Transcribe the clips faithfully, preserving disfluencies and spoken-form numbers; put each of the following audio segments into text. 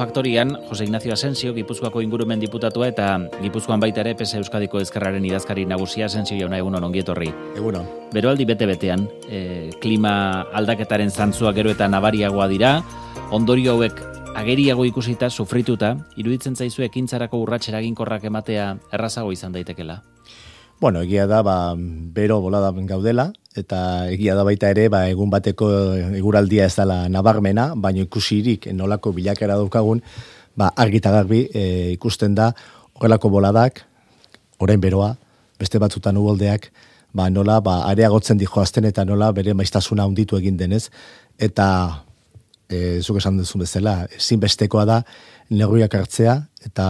Faktorian, Jose Ignacio Asensio, Gipuzkoako ingurumen diputatua eta Gipuzkoan baita ere P S Euskadiko Ezkerraren idazkari nagusia. Asensio jauna, egunon, ongi etorri. Egunon. Beroaldi bete-betean, e, klima aldaketaren zantzua gero eta nabariagoa dira, ondorio hauek ageriago ikusita, sufrituta, iruditzen zaizu ekintzarako urrats eraginkorrak ematea errazago izan daitekela? Bueno, egia da, ba, bero bolada gaudela, eta egia da baita ere, ba, egun bateko eguraldia ez dela nabarmena, baina ikusirik nolako bilakera daukagun, ba, argita garbi e, ikusten da, horrelako boladak, orain beroa, beste batzutan uboldeak, ba, nola, ba, areagotzen dijoazten eta nola bere maiztasuna handitu egin denez, eta e, zuk esan duzun bezala, ezinbestekoa da, neurriak hartzea, eta,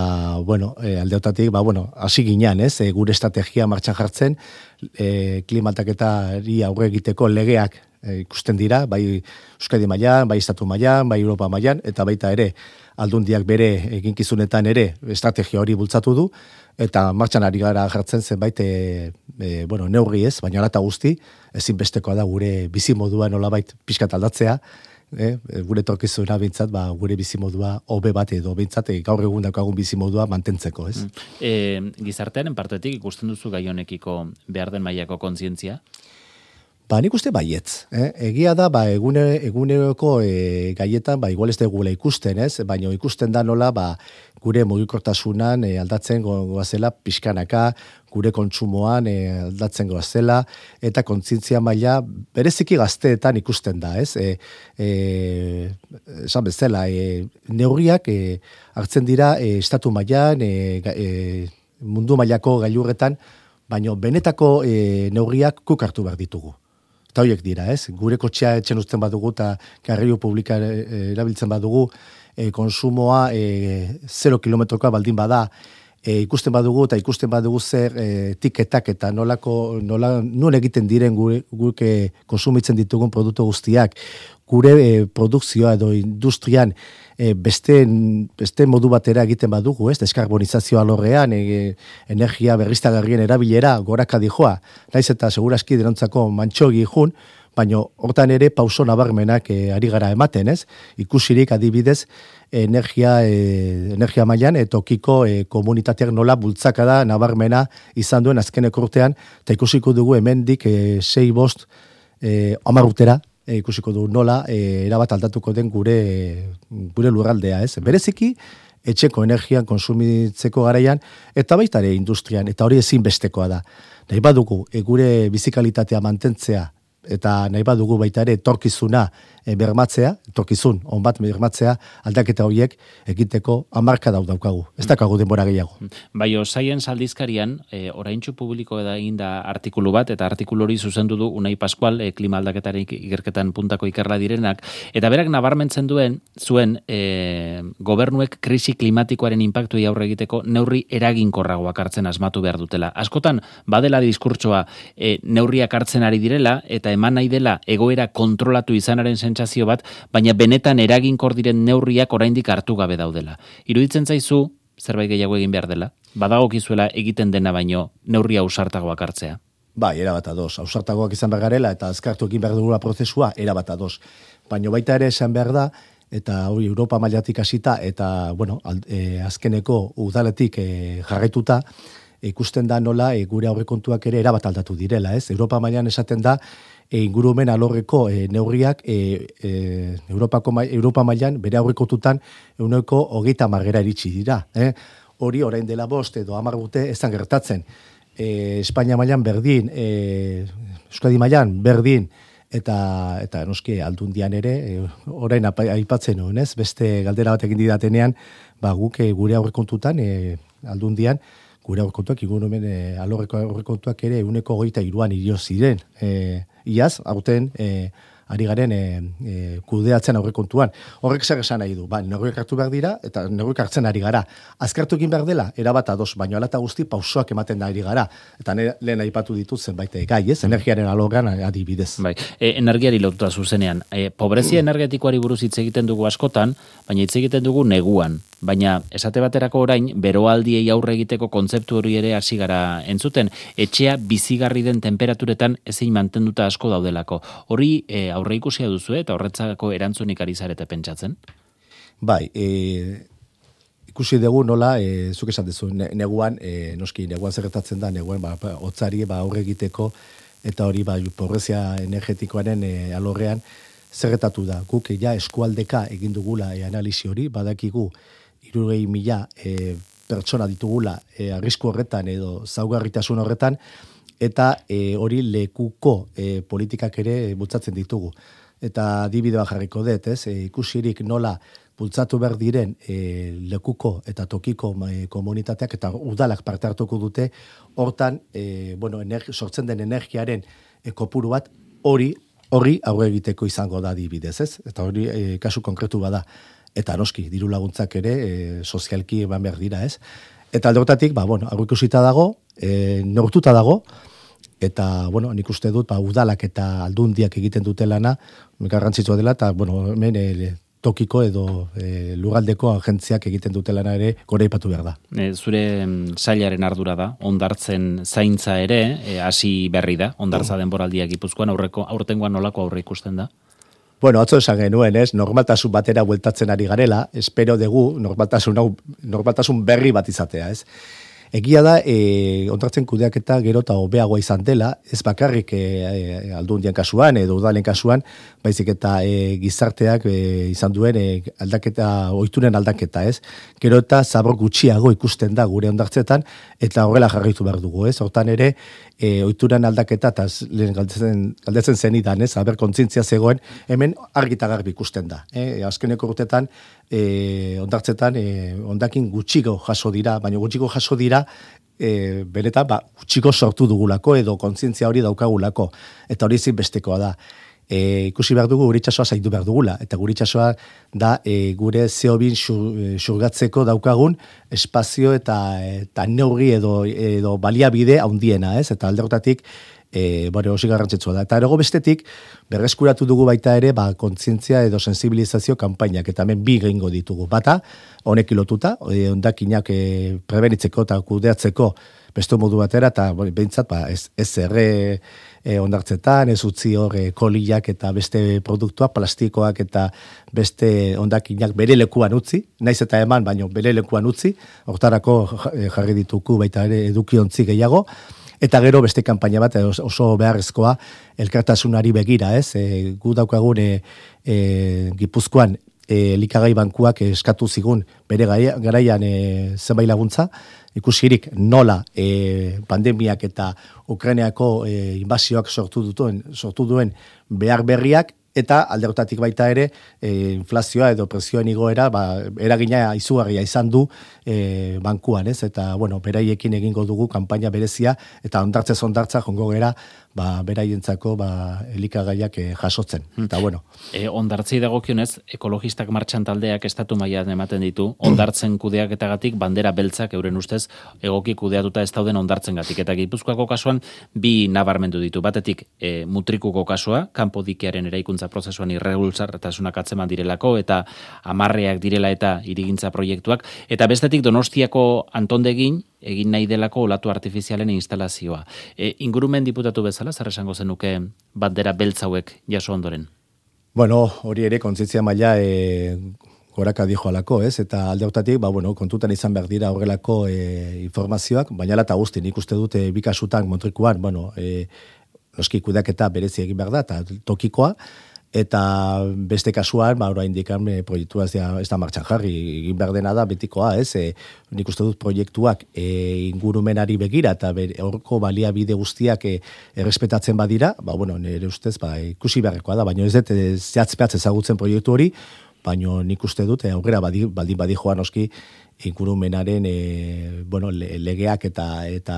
bueno, e, aldeotatik, ba, bueno, hasi ginean, ez, e, gure estrategia martxan jartzen, e, klimataketari aurre egiteko legeak e, ikusten dira, bai Euskadi mailan, bai Estatu mailan, bai Europa mailan, eta baita ere, aldundiak bere eginkizunetan ere estrategia hori bultzatu du, eta martxan ari gara jartzen zenbait, e, e, bueno, neurri ez, baina alata guzti, ezinbestekoa da gure bizimodua nolabait pixkat aldatzea, Eh, gure torkizuna bintzat, ba, gure bizimodua hobe bat edo bintzat, e, gaur egun daukagun bizimodua mantentzeko, ez? E, gizartearen partetik ikusten duzu gai honekiko behar den mailako kontzientzia? Ba, nik uste baietz. Eh? Egia da, ba, egune, eguneroko e, gaietan, ba, igual ez degula ikusten, ez? Baina ikusten da nola, ba, gure mugikortasunan e, aldatzen goazela pixkanaka, gure kontsumoan e, aldatzen goazela, eta kontzientzia maila bereziki gazteetan ikusten da, ez? E, e, esan bezala, e, neurriak e, hartzen dira e, estatu mailan, e, e, mundu mailako gailurretan, baina benetako e, neurriak guk hartu behar ditugu. Eta horiek dira, ez? Gure kotxea etxen uzten badugu eta garraio publika erabiltzen badugu, e, konsumoa e, zero kilometrokoa baldin bada, e, ikusten badugu eta ikusten badugu zer e, tiketak eta nolako, nola, nun egiten diren gure, gure konsumitzen ditugun produktu guztiak, gure e, produkzioa edo industrian e, beste, beste modu batera egiten badugu, ez? Deskarbonizazioa alorrean, e, energia berriztagarrien erabilera, goraka dijoa, naiz eta seguraski denontzako mantxogi jun, baina hortan ere pauso nabarmenak e, ari gara ematen, ez? Ikusirik adibidez, energia, e, energia mailan e, tokiko e, komunitateak nola bultzakada nabarmena izan duen azkeneko urtean, eta ikusiko dugu hemendik e, sei bost e, hamar urtera, E, ikusiko du nola, e, erabat aldatuko den gure, gure lurraldea, ez? Bereziki, etxeko energian konsumitzeko garaian, eta baita ere industrian, eta hori ezinbestekoa da. Nahi badugu, e, gure bizikalitatea mantentzea, eta nahi badugu baita ere torkizuna e, bermatzea, torkizun, on bat bermatzea, aldaketa horiek egiteko hamarka dau daukagu. Ez dakagu denbora gehiago. Bai, Science aldizkarian, e, oraintxu publiko da inda artikulu bat, eta artikulu hori zuzendu du Unai Pascual, e, klima aldaketaren ikerketan puntako ikerla direnak, eta berak nabarmentzen duen, zuen e, gobernuek krisi klimatikoaren inpaktuei aurre egiteko neurri eraginkorragoak hartzen asmatu behar dutela. Askotan, badela diskurtsoa e, neurriak hartzen ari direla, eta eman nahi dela egoera kontrolatu izanaren sentsazio bat, baina benetan eraginkor diren neurriak oraindik hartu gabe daudela. Iruditzen zaizu, zerbait gehiago egin behar dela? Badagokizuela egiten dena baino neurria ausartagoak hartzea? Bai, erabat ados. Ausartagoak izan behar garela eta azkartu egin behar dugula prozesua, erabat ados. Baina baita ere esan behar da, eta hori Europa mailatik hasita eta, bueno, e, azkeneko udaletik e, jarraituta, ikusten da nola e, gure aurrekontuak ere erabat aldatu direla, ez? Europa mailan esaten da, e, ingurumen alorreko e, neurriak e, e, Europako, Europa mailan bere aurrekontutan ehuneko hogeita hamarera iritsi dira. Eh? Hori orain dela bost edo hamar urte ezan gertatzen. E, Espainia mailan berdin, e, Euskadi mailan berdin, eta eta noski aldundian ere, e, orain aipatzen nuen, ez? Beste galdera bat egin didatenean, ba, guk e, gure aurrekontutan e, aldundian, gure aurrekontuak, ingurumen e, alorreko aurrekontuak ere ehuneko hogeita hiruan irio ziren. E, iaz, aurten e, ari garen e, e, kudeatzen aurrekontuan. Horrek zer esan nahi du, ba, neurriak hartu behar dira, eta neurriak hartzen ari gara. Azkartu egin behar dela, erabat ados, baina alata guzti pausoak ematen da ari gara. Eta ne, lehen aipatu ditut zenbait gai, ez? Energiaren alorrean adibidez. Bai, e, energiari lotuta zuzenean. E, pobrezia energetikoari buruz hitz egiten dugu askotan, baina hitz egiten dugu neguan. Baina esate baterako orain, beroaldiei aurre egiteko kontzeptu hori ere hasi gara entzuten, etxea bizigarri den temperaturetan ezin mantenduta asko daudelako. Hori e, aurre ikusia duzu eta horretzako erantzunik ari zarete pentsatzen? Bai, e, ikusi dugu nola, e, zuk esan duzu, ne, neguan, e, noski, neguan zerretatzen da, neguan, ba, hotzari, ba, aurre egiteko, eta hori, ba, pobrezia energetikoaren e, alorrean, zerretatu da. Guk, ja, eskualdeka egin dugula e, analizi hori, badakigu, hirurogei mila e, pertsona ditugula e, arrisku horretan edo zaugarritasun horretan, eta e, hori lekuko e, politikak ere bultzatzen ditugu. Eta adibideoa jarriko dut, ez? E, ikusirik nola bultzatu behar diren e, lekuko eta tokiko e, komunitateak eta udalak parte hartuko dute, hortan, e, bueno, energi, sortzen den energiaren e, kopuru bat hori hori aurre egiteko izango da adibidez, ez? Eta hori e, kasu konkretu bada. Eta noski, diru laguntzak ere e, sozialki eman behar dira, ez? Eta alde hortatik, ba, bueno, aurre ikusita dago, e, neurtuta dago, eta, bueno, nik uste dut, ba, udalak eta aldundiak egiten dute lana, garrantzitsua dela, eta, bueno, hemen e, tokiko edo e, lugaldeko agentziak egiten dute lana ere goraipatu behar da. E, zure sailaren ardura da, hondartzen zaintza ere, e, hasi berri da, hondartza denboraldia Gipuzkoan, aurreko, aurtengoan nolako aurre ikusten da? Bueno, atzo esan genuen, ez, normaltasun batera bueltatzen ari garela, espero dugu normaltasun, hau, normaltasun berri bat izatea, ez. Egia da, e, ondartzen kudeaketa gero eta hobeagoa izan dela, ez bakarrik e, e, aldundien kasuan edo udalen kasuan, baizik eta e, gizarteak e, izan duen e, aldaketa, ohituren aldaketa, ez? Gero eta zabor gutxiago ikusten da gure ondartzetan, eta horrela jarraitu behar dugu, ez? Hortan ere, e, ohituren aldaketa, eta lehen galdetzen, galdetzen zenidan, ez? Aber kontzientzia zegoen, hemen argita garbi ikusten da. E, azkeneko urtetan, e, ondartzetan, e, ondakin gutxiko jaso dira, baina gutxiko jaso dira, E, benetan, ba, gutxiko sortu dugulako edo kontzientzia hori daukagulako. Eta hori zin bestekoa da. E, ikusi behar dugu gure itxasoa zaindu behar dugula. Eta gure itxasoa da e, gure C O bi xurgatzeko daukagun espazio eta, eta neurri edo, edo baliabide handiena, ez? Eta alde horretatik, E, bueno, osi garrantzitsua da. Eta erago bestetik, berreskuratu dugu baita ere, ba, kontzientzia edo sensibilizazio kanpainak, eta hemen bi gehingo ditugu. Bata, honek lotuta, e, ondakinak e, prebenitzeko eta kudeatzeko beste modu batera, eta bueno, behintzat, ba, ez, ez erre e, ondartzetan, ez utzi hor e, kolillak eta beste produktuak, plastikoak eta beste ondakinak bere lekuan utzi, naiz eta eman, baino bere lekuan utzi, hortarako jarri dituku baita ere edukiontzi gehiago. Eta gero beste kanpaina bat oso beharrezkoa elkartasunari begira, ez? E, gu daukagun e, e, Gipuzkoan e, elikagai bankuak eskatu zigun bere garaian e, zenbait laguntza, ikusirik nola e, pandemiak eta Ukrainiako e, inbasioak sortu duten, sortu duen behar berriak, eta alde horretatik baita ere e, inflazioa edo prezioen igoera ba, eragina izugarria izan du e, bankuan, ez? Eta, bueno, beraiekin egingo dugu kanpaina berezia, eta ondartzez ondartza jongo gera ba, beraientzako ba, elikagaiak e, jasotzen. Hmm. Eta, bueno. E, ondartzei dagokionez, ekologistak martxan taldeak estatu mailan ematen ditu, ondartzen kudeaketagatik bandera beltzak euren ustez egoki kudeatuta ez dauden ondartzengatik. Eta Gipuzkoako kasuan bi nabarmendu ditu. Batetik e, mutrikuko kasua, kanpo dikearen eraikuntza prozesuan irregulartasunak atzeman direlako eta amarreak direla eta hirigintza proiektuak, eta bestetik Donostiako Antondegin egin nahi delako olatu artifizialen instalazioa. E, ingurumen diputatu bezala, zer esango zenuke bandera beltz hauek jaso ondoren? Bueno, hori ere kontzientzia maila e, goraka dijo alako, ez? Eta alde hortatik, ba, bueno, kontutan izan behar dira horrelako e, informazioak, baina eta guzti, nik uste dute bikasutan motrikuan, bueno, e, noski kudeaketa berezi egin behar da, eta tokikoa, eta beste kasuan, ba, orain dikan e, proiektua ez da, ez da martxan jarri, egin behar dena da betikoa, ez? E, nik uste dut proiektuak e, ingurumenari begira, eta horko baliabide guztiak e, errespetatzen badira, ba, bueno, nire ustez, ba, ikusi beharrekoa da, baina ez dut e, zehatzpeatz ezagutzen proiektu hori, baina nik uste dut, e, aurrera badi, baldin badi joan oski, ingurumenaren e, bueno, legeak eta eta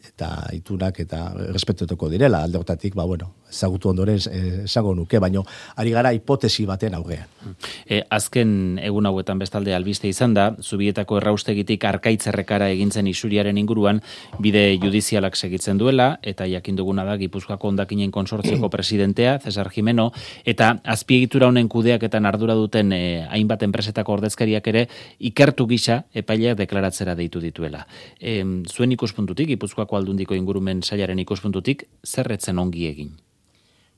eta itunak eta respetutuko direla alde hortatik, ba bueno, ezagutu ondoren esango nuke, baino ari gara hipotesi baten aurrean. E, azken egun hauetan bestalde albiste izan da, Zubietako erraustegitik Arkaitzerrekara egintzen isuriaren inguruan bide judizialak segitzen duela, eta jakin duguna da Gipuzkoako hondakinen konsortzioko presidentea, Cesar Jimeno, eta azpiegitura honen kudeaketan ardura duten e, hainbat enpresetako ordezkariak ere ikertu gisa epaileak deklaratzera deitu dituela. E, zuen ikuspuntutik, Gipuzkoako aldundiko ingurumen sailaren ikuspuntutik, zerretzen ongi egin?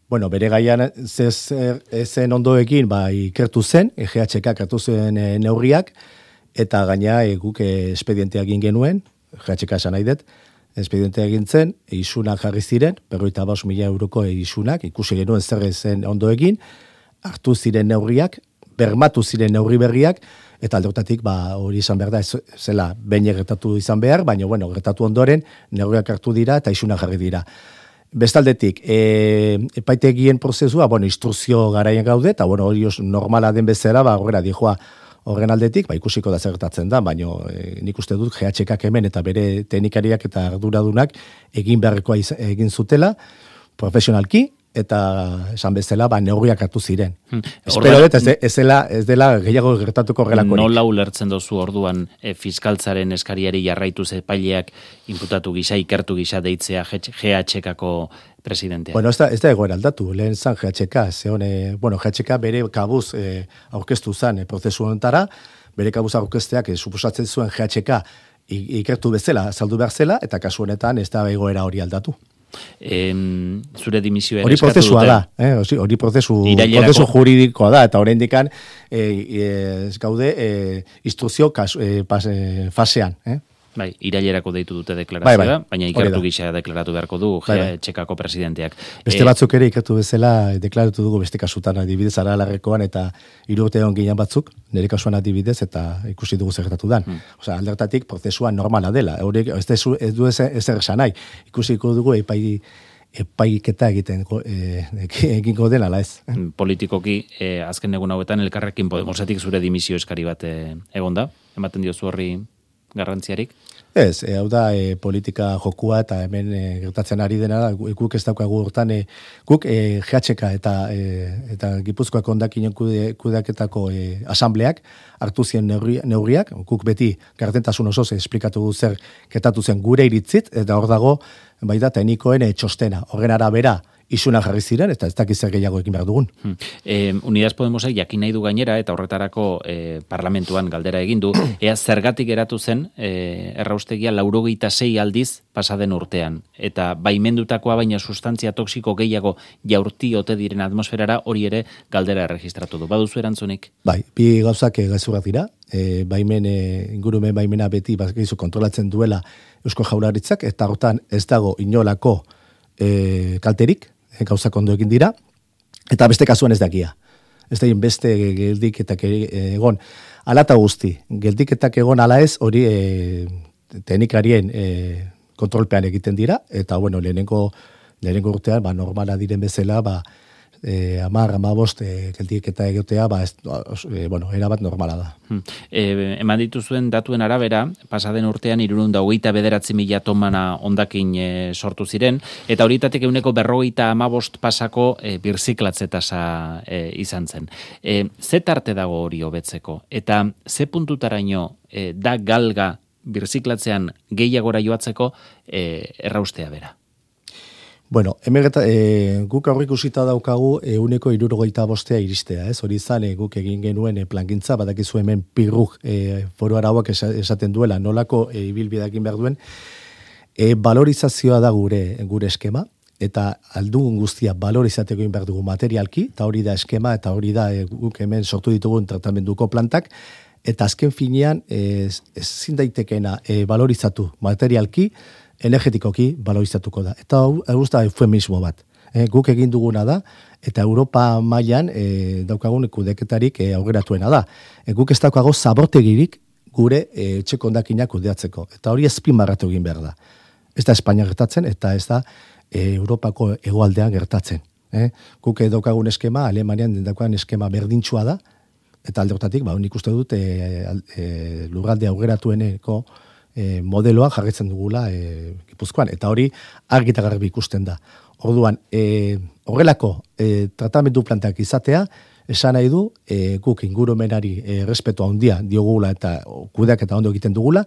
Bueno, bere gaian zen ondoekin, ba, ikertu zen, G H K hartu zen e, neurriak, eta gaina e, guk e, espedientea egin genuen, G H K esan nahi dut, espedientea egin zen, e, isunak jarri ziren, berroita bost mila euroko e, isunak, ikusi genuen zer zen ondoekin, hartu ziren neurriak, bermatu ziren neurri berriak, eta aldeotatik ba, hori izan behar da, ez, zela, behin gertatu izan behar, baina, bueno, gertatu ondoren, neurriak hartu dira, eta isunak jarri dira. Bestaldetik, e, epaitegien prozesua, bueno, instrukzio garaien gaude, eta bueno, hori normala den bezala, ba, horrela dijoa horren aldetik, ba, ikusiko da zertatzen da, baina e, nik uste dut G H K hemen eta bere teknikariak eta arduradunak egin beharrekoa egin zutela, profesionalki, eta esan bezala, ba, neurriak hartu ziren. Hmm. Espero dut, ez, ez, dela, ez dela gehiago gertatuko horrelakorik. Nola ulertzen dozu orduan e, fiskaltzaren eskariari jarraituz epaileak inputatu gisa, ikertu gisa deitzea G H K-ko presidentea? Bueno, ez da, ez da egoera aldatu, lehen zan G H K, zeon, e, bueno, G H K bere kabuz e, aurkeztu zan e, prozesu honetara, bere kabuz aurkezteak e, suposatzen zuen G H K ikertu bezala, saldu behar zela, eta kasu honetan ez da egoera hori aldatu. Em, zure dimisioa hori prozesua da, eh? hori prozesu, prozesu juridikoa da, eta horrein dikan e, e, ez gaude e, instrukzio e, e, fasean. Eh? Bai, irailerako deitu dute deklarazioa, bai, bai. baina ikertu gisa deklaratu beharko du G H K-ko presidenteak. Beste batzuk ere ikertu bezala deklaratu dugu beste kasutan adibidez Aralarrekoan eta hiru urte egon ginen batzuk, nire kasuan adibidez eta ikusi dugu zertatu dan. Hmm. Osea, aldertatik prozesua normala dela. Horiek ez, ez du ezer esan nahi. Ikusiko dugu epai epaiketa egiten e, egingo dela, ala ez. Politikoki, e, azken egun hauetan Elkarrekin Podemosetik zure dimisio eskari bat e, egonda, ematen diozu horri garrantziarik? Ez, e, hau da e, politika jokua eta hemen e, gertatzen ari dena da, guk ez daukagu hortan, e, guk e, G H K eta, e, eta Gipuzkoako hondakinen kude, kudeaketako e, asambleak hartu zien neurri, neurriak, guk beti gardentasun osoz esplikatu du zer ketatu zen gure iritzit, eta hor dago, bai da, teknikoen e, txostena, horren arabera, isuna jarri ziren, eta ez dakiz zer gehiago ekin behar dugun. Hmm. Eh, Unidas Podemosek jakin nahi du gainera, eta horretarako eh, parlamentuan galdera egin du, ea zergatik eratu zen eh, erraustegia laurogeita sei aldiz pasaden urtean, eta baimendutakoa baina sustantzia toksiko gehiago jaurti ote diren atmosferara hori ere galdera erregistratu du. Baduzu erantzunik? Bai, bi gauzak gezurrak dira, e, baimen, e, ingurumen baimena beti bakizu kontrolatzen duela Eusko Jaurlaritzak, eta hortan ez dago inolako e, kalterik, gauzak ondo egin dira, eta beste kasuan ez dakia. Ez da beste geldiketak egon. Ala eta guzti, geldiketak egon ala ez, hori e, teknikarien e, kontrolpean egiten dira, eta bueno, lehenengo, lehenengo urtean, ba, normala diren bezala, ba, e, amar, amabost, e, geldiketa egotea, ba, ez, e, bueno, erabat normala da. Hmm. E, eman dituzuen datuen arabera, pasaden urtean hirurehun eta hogeita bederatzi mila tomana hondakin e, sortu ziren, eta horietatik ehuneko berrogeita hamabost pasako e, birziklatze tasa e, izan zen. E, ze tarte dago hori hobetzeko? Eta ze puntutaraino e, da galga birziklatzean gehiagora joatzeko e, erraustea bera? Bueno, hemen e, guk aurrik usita daukagu ehuneko hirurogeita bostea iristea, ez? Hori izan e, guk egin genuen e, plangintza, badakizu hemen pirruk e, foru arauak esaten duela, nolako e, ibilbideakin behar duen, e, valorizazioa da gure gure eskema, eta aldugun guztia valorizateko egin behar dugu materialki, eta hori da eskema, eta hori da e, guk hemen sortu ditugun tratamenduko plantak, eta azken finean ez, ezin daitekena e, valorizatu materialki, energetikoki balorizatuko da. Eta hau da eufemismo bat. E, guk egin duguna da, eta Europa mailan e, daukagun kudeketarik e, aurreratuena da. E, guk ez daukago zabortegirik gure e, etxeko hondakinak kudeatzeko. Eta hori azpimarratu egin behar da. Ez da Espainia gertatzen, eta ez da e, Europako hegoaldean gertatzen. E, guk daukagun eskema, Alemanian daukagun eskema berdintxua da, eta alde hortatik, ba, nik uste dut e, e, lurralde aurreratueneko E, modeloa jarritzen dugula e, Gipuzkoan, eta hori argi eta garbi ikusten da. Orduan, e, horrelako e, tratamendu plantak izatea, esan nahi du, e, guk ingurumenari e, respeto handia diogula eta kudeak eta ondo egiten dugula,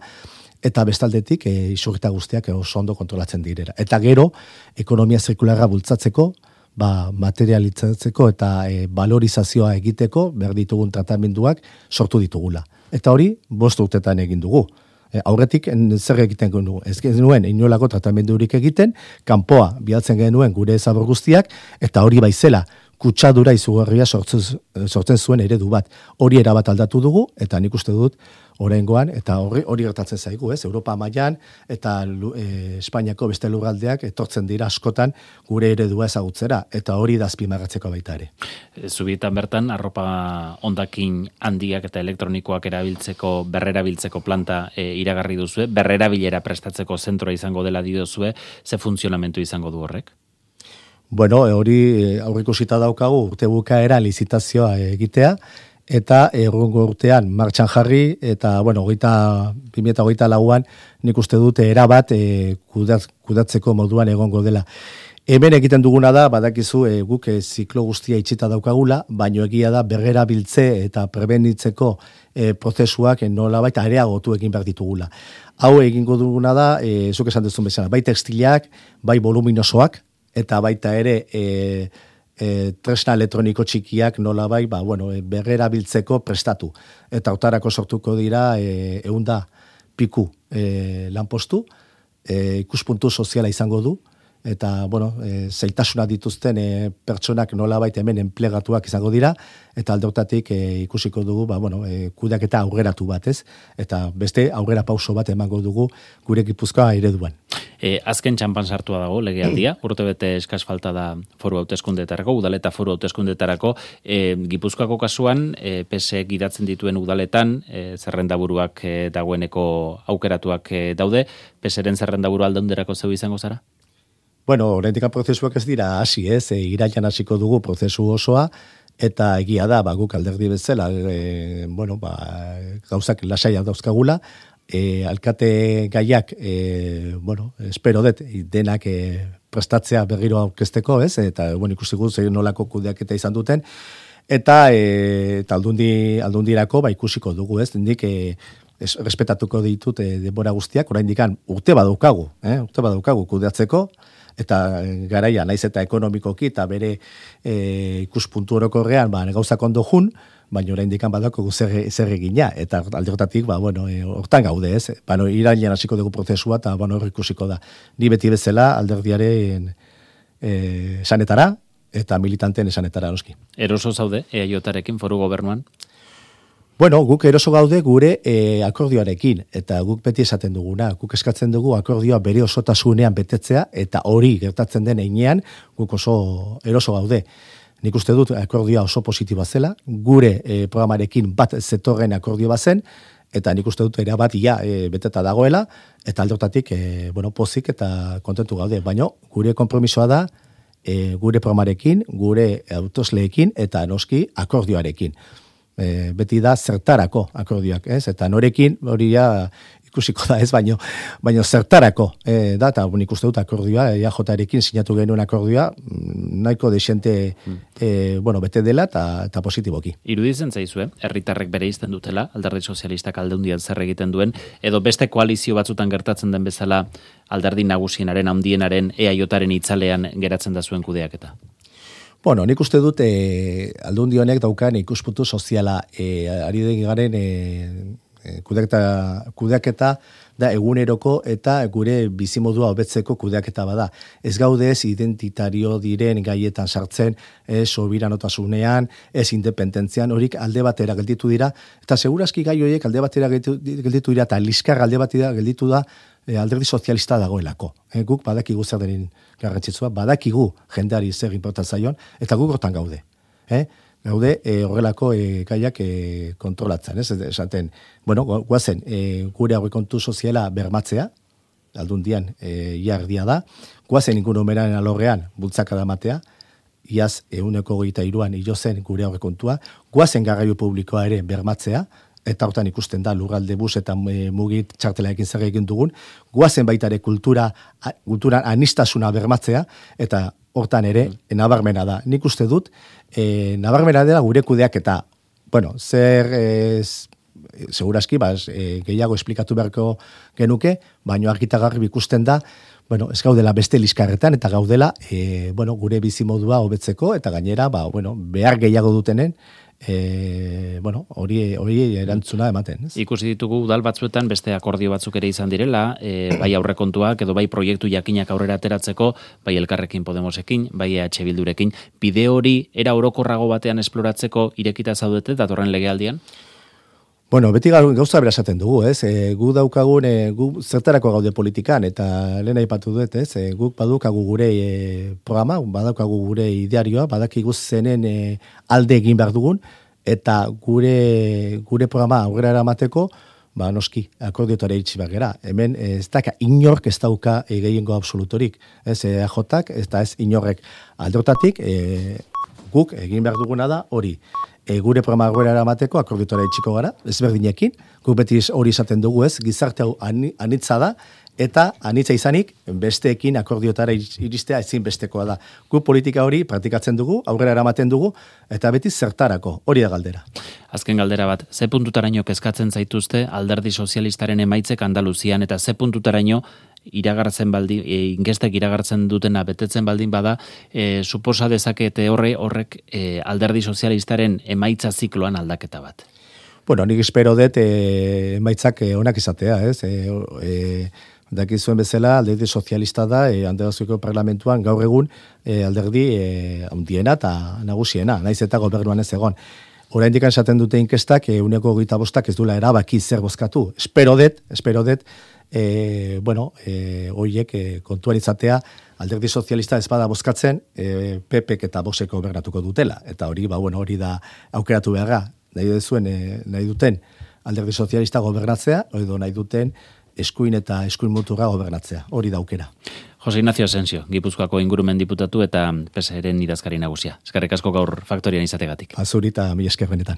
eta bestaldetik e, isurita guztiak oso ondo kontrolatzen direra. Eta gero, ekonomia zirkularra bultzatzeko, ba, materialitzatzeko eta e, valorizazioa egiteko, behar ditugun tratamenduak sortu ditugula. Eta hori, bost urtetan egin dugu. E, aurretik zer egiten genuen, ez genuen inolako tratamendurik egiten, kanpoa bidaltzen genuen gure zabor guztiak, eta hori baizela, kutsadura izugarria sortzen, sortzen zuen eredu bat. Hori erabat aldatu dugu, eta nik uste dut oraingoan, eta hori, hori gertatzen zaigu, ez? Europa mailan eta e, Espainiako beste lurraldeak etortzen dira askotan gure eredua ezagutzera, eta hori da azpimarratzeko baita ere. Zubietan bertan, arropa hondakin handiak eta elektronikoak erabiltzeko, berrerabiltzeko planta e, iragarri duzue, berrerabilera prestatzeko zentroa izango dela diozue, ze funtzionamentu izango du horrek? Bueno, hori aurreikusita daukagu urte bukaera lizitazioa egitea, eta errungo urtean martxan jarri, eta, bueno, bi mila hogeita lauan nik uste dute erabat e, kudat, kudatzeko moduan egongo dela. Hemen egiten duguna da, badakizu, e, guk e, ziklo guztia itxita daukagula, baino egia da berrera biltze eta prebenitzeko e, prozesuak nolabait areagotu egin behar ditugula. Hau egingo duguna da, e, zuk esan duzun bezala, bai tekstilak, bai voluminosoak, eta baita ere e, e, tresna elektroniko txikiak nola bai, ba, bueno, e, berrera biltzeko prestatu. Eta otarako sortuko dira e, eunda piku e, lanpostu, e, ikuspuntu soziala izango du, eta, bueno, e, zeitasuna dituzten e, pertsonak nola baita hemen enplegatuak izango dira, eta aldeotatik e, ikusiko dugu, ba, bueno, e, kudeaketa aurreratu bat, ez? Eta beste aurrera pauso bat emango dugu gure Gipuzkoa ereduan. E, azken txampan sartua dago legealdia, urte bete eskas falta da foru hauteskundetarako, udaleta foru hauteskundetarako, e, Gipuzkoako kasuan, e, P S E gidatzen dituen udaletan, e, zerrendaburuak e, dagoeneko aukeratuak e, daude, P S E-ren zerrendaburu aldaunderako zeu izango zara? Bueno, oraindik prozesuak ez dira hasi, ez, e, irailan hasiko dugu prozesu osoa, eta egia da, ba, guk alderdi bezala, e, bueno, ba, gauzak lasaia dauzkagula, E, alkate gaiak, e, bueno, espero dut, denak e, prestatzea berriro aurkezteko, ez? Eta, bueno, ikusi guz, nolako kudeaketa izan duten, eta, e, eta aldundi, aldundirako, ba, ikusiko dugu, ez? Nik, e, es, respetatuko ditut e, denbora guztiak, orain dikan, urte badaukagu, eh? urte badaukagu kudeatzeko, eta garaia, naiz eta ekonomikoki, eta bere e, ikuspuntu orokorrean, ba, gauzak ondo jun, baina orain dikan badako zer, zer egina, eta aldertatik, ba, bueno, e, hortan gaude, ez? Bano, irailean hasiko dugu prozesua, eta, bueno, hor ikusiko da. Ni beti bezala alderdiaren e, esanetara, eta militanten esanetara, noski. Eroso zaude, E A J-arekin foru gobernuan? Bueno, guk eroso gaude gure e, akordioarekin, eta guk beti esaten duguna, guk eskatzen dugu akordioa bere osotasunean betetzea, eta hori gertatzen den heinean, guk oso eroso gaude. Nik uste dut akordioa oso positiboa zela, gure e, programarekin bat zetorren akordio bazen, eta nik uste dut erabat ia e, beteta dagoela, eta aldotatik e, bueno, pozik eta kontentu gaude. Baina gure konpromisoa da e, gure programarekin, gure autosleekin, eta noski akordioarekin. E, beti da zertarako akordioak, ez? Eta norekin hori ja ikusiko da, ez, baino, baino zertarako, e, da, eta nik uste dut akordioa, E A J-arekin sinatu genuen akordioa, nahiko desente, e, bueno, bete dela, eta, eta positiboki. Iruditzen zaizue, herritarrek bere izten dutela, alderdi sozialistak aldeundian zer egiten duen, edo beste koalizio batzutan gertatzen den bezala, alderdi nagusienaren, handienaren, E A J-aren itzalean geratzen da zuen kudeaketa? Bueno, nik uste dut e, aldundi honek daukan ikuspuntu soziala, e, ari den garen e, kudeaketa, kudeaketa da eguneroko eta gure bizimodua hobetzeko kudeaketa bada. Ez gaude ez identitario diren gaietan sartzen, ez sobiranotasunean, ez independentzian, horik alde batera gelditu dira, eta segurazki gai horiek alde batera gelditu, gelditu dira, eta liskar alde batera gelditu da, e, alderdi sozialista dagoelako. E, guk badakigu zer denin garrantzitsua, badakigu jendeari zer inportan zaion, eta guk hortan gaude. Eh? Gaude e, horrelako e, gaiak e, kontrolatzen, ez? Esaten, bueno, guazen, e, gure aurrekontu soziala bermatzea, aldundian e, iardia da, guazen ingurumenaren alorrean bultzaka da matea, iaz euneko goita iruan hilo zen gure aurrekontua, guazen garraio publikoa ere bermatzea, eta hortan ikusten da lurralde bus eta e, mugit txartelaekin zer egin dugun, guazen baitare kultura, kultura anistasuna bermatzea, eta hortan ere, mm. nabarmena da. Nik uste dut, e, nabarmena dela gure kudeak eta, bueno, zer ez, seguraski, ba, e, gehiago esplikatu beharko genuke, baino argitagarri ikusten da, bueno, ez gaudela beste liskarretan, eta gaudela, e, bueno, gure bizimodua hobetzeko, eta gainera, ba, bueno, behar gehiago dutenen, E, bueno, hori hori erantzuna ematen, ez? Ikusi ditugu udal batzuetan beste akordio batzuk ere izan direla, e, bai aurrekontuak edo bai proiektu jakinak aurrera ateratzeko, bai Elkarrekin Podemosekin, bai E H Bildurekin, bide hori era orokorrago batean esploratzeko irekita zaudete datorren legealdian? Bueno, beti gauza bera esaten dugu, ez? E, gu daukagun, e, gu zertarako gaude politikan, eta lehen aipatu dut, ez? E, guk badukagu gure e, programa, badaukagu gure idearioa, badakigu zenen e, alde egin behar dugun, eta gure gure programa aurrera eramateko, ba, noski, akordiotara iritsi behar gera. Hemen, ez daka, inork ez dauka e, gehiengo absolutorik, ez? E, A J-ak, ez da ez inorrek aldotatik, e, guk egin behar duguna da hori. E, gure programa aurrera eramateko akordiotora itxiko gara, ezberdinekin, guk beti hori izaten dugu, ez, gizarte hau anitza da, eta anitza izanik besteekin akordiotara iristea ezin bestekoa da. Guk politika hori praktikatzen dugu, aurrera eramaten dugu, eta beti zertarako, hori da galdera. Azken galdera bat, ze puntutaraino kezkatzen zaituzte Alderdi Sozialistaren emaitzek Andaluzian, eta ze puntutaraino iragartzen baldin, e, inkestek iragartzen dutena betetzen baldin bada, e, suposa dezakete horre horrek e, Alderdi Sozialistaren emaitza zikloan aldaketa bat. Bueno, nik espero dut e, emaitzak e, onak izatea, ez? E, e, dakizuen bezala, Alderdi Sozialista da, e, Andaluziako parlamentuan gaur egun e, alderdi e, handiena eta nagusiena, naiz eta gobernuan ez egon. Oraindik esaten dute inkestak, e, uneko hogeita bostak ez duela erabaki zer bozkatu. Espero dut, espero dut, E, bueno, e, oiek e, kontuan izatea, Alderdi Sozialista ez bada bozkatzen, e, P Pek eta Voxek gobernatuko dutela. Eta hori, ba, bueno, hori da aukeratu beharra. Nahi duzuen, e, nahi duten Alderdi Sozialista gobernatzea, edo nahi duten eskuin eta eskuin muturra gobernatzea. Hori da aukera. Jose Ignacio Asensio, Gipuzkoako ingurumen diputatu eta P S eren idazkari nagusia. Eskerrik asko gaur Faktorian izategatik. Azuri eta mila esker benetan.